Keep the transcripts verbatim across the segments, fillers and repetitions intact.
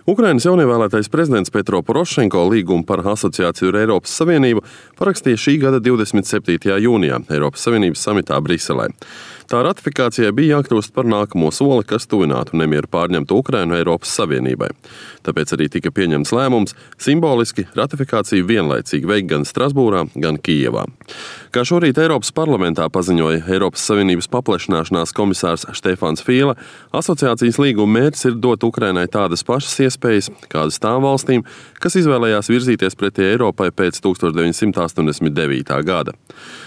Ukrainas jaunievēlētais prezidents Petro Porošenko līgumu par asociāciju ar Eiropas Savienību parakstīja šī gada divdesmit septītajā jūnijā Eiropas Savienības samitā Briselē. Tā ratifikācijai bija jākļūst par nākamo soli, kas tuvinātu nemieru pārņemtu Ukrainu Eiropas Savienībai. Tāpēc arī tika pieņemts lēmums simboliski ratifikāciju vienlaicīgi veikt gan Strasbūrā, gan Kijevā. Kā šorīt Eiropas parlamentā paziņoja Eiropas Savienības paplašināšanās komisārs Štefans Fīle, asociācijas līguma mērķis ir dot Ukrainai tādas pašas iespējas, kādas tām valstīm, kas izvēlējās virzīties pretī Eiropai pēc tūkstoš deviņsimt astoņdesmit devītā gada.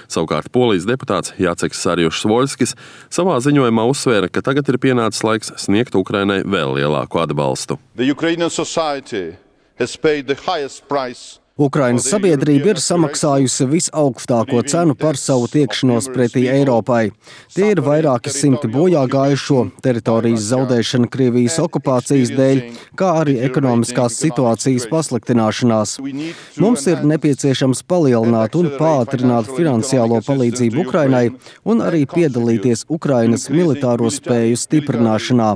Savukārt Polijas deputāts Jaceks Sarjušs-Voļskis savā ziņojumā uzsvēra, ka tagad ir pienācis laiks sniegt Ukrainai vēl lielāku atbalstu. Ukrainas sabiedrība ir samaksājusi visaugstāko cenu par savu tiekšanos pretī Eiropai. Tie ir vairāki simti bojā gājušo, teritorijas zaudēšana Krievijas okupācijas dēļ, kā arī ekonomiskās situācijas pasliktināšanās. Mums ir nepieciešams palielināt un pātrināt finansiālo palīdzību Ukrainai un arī piedalīties Ukrainas militāro spēju stiprināšanā.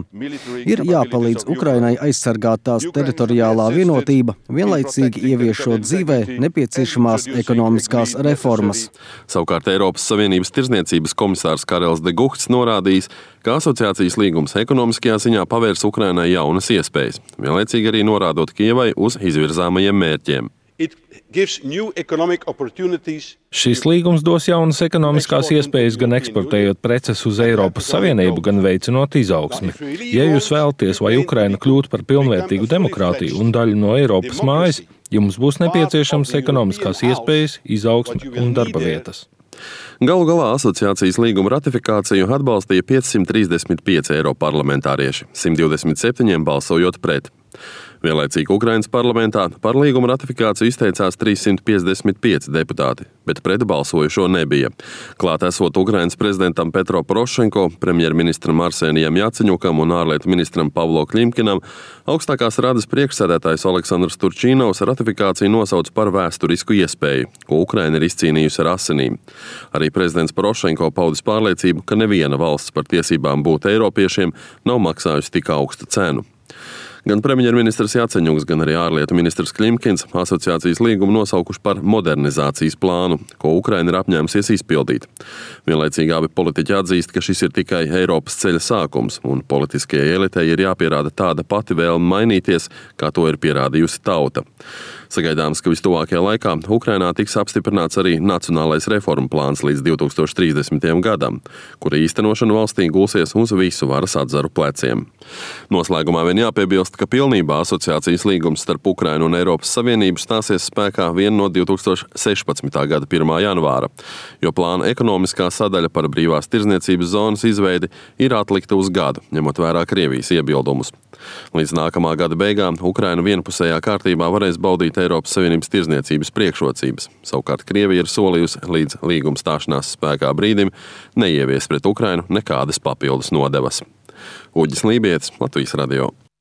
Ir jāpalīdz Ukrainai aizsargāt tās teritoriālā vienotība, vienlaicīgi ieviešot dzīvē nepieciešamās ekonomiskās reformas. Savukārt Eiropas Savienības tirdzniecības komisārs Karels de Guhts norādījis, ka asociācijas līgums ekonomiskajā ziņā pavērs Ukrainai jaunas iespējas, vienlaicīgi arī norādot Kijevai uz izvirzāmajiem mērķiem. Šis līgums dos jaunas ekonomiskās iespējas gan eksportējot preces uz Eiropas Savienību, gan veicinot izaugsmi. Ja jūs vēlaties, lai Ukraina kļūtu par pilnvērtīgu demokrātiju un daļu no Eiropas mājas, jums būs nepieciešams ekonomiskās iespējas, izaugsme un darba vietas. Galu galā asociācijas līguma ratifikāciju atbalstīja piecsimt trīsdesmit pieci eiroparlamentārieši, simt divdesmit septiņi balsojot pret. Vienlaicīgi Ukrainas parlamentā par līguma ratifikāciju izteicās trīssimt piecdesmit pieci deputāti, bet pret balsojušo nebija. Klāt esot Ukrainas prezidentam Petro Porošenko, premjerministram Arsenijam Jaceņukam un ārlietu ministram Pavlo Klimkinam, augstākās radas priekšsēdētājs Aleksandrs Turčīnovs ratifikāciju nosauc par vēsturisku iespēju, ko Ukraina ir izcīnījusi ar asinīm. Arī prezidents Porošenko paudis pārliecību, ka neviena valsts par tiesībām būt eiropiešiem nav maksājusi tik augstu cenu. Gan premjerministrs Jaceņuks, gan arī ārlietu ministrs Klimkins asociācijas līgumu nosaukuši par modernizācijas plānu, ko Ukraina ir apņēmusies izpildīt. Vienlaicīgi abi politiķi atzīst, ka šis ir tikai Eiropas ceļa sākums, un politiskajai elitei ir jāpierāda tāda pati vēlme mainīties, kā to ir pierādījusi tauta. Sagaidāms, ka vistuvākajā laikā Ukrainā tiks apstiprināts arī nacionālais reformu plāns līdz divi tūkstoši trīsdesmitajam gadam, kura īstenošana valstī gulsies uz visu varas atzaru pleciem. Noslēgumā vien jāpiebilst, ka pilnībā asociācijas līgums starp Ukrainu un Eiropas Savienību stāsies spēkā vien no divi tūkstoši sešpadsmitā gada pirmā janvāra, jo plāna ekonomiskā sadaļa par brīvās tirdzniecības zonas izveidi ir atlikta uz gadu, ņemot vērā Krievijas iebildumus. Līdz nākamā gada beigām Ukraina vienpusējā kārtībā varēs baudīt Eiropas Savienības tirdzniecības priekšrocības. Savukārt Krievija ir solījusi līdz līguma stāšanās spēkā brīdim neievies pret Ukrainu nekādas papildus nodevas. Uģis Lībietis, Latvijas radio.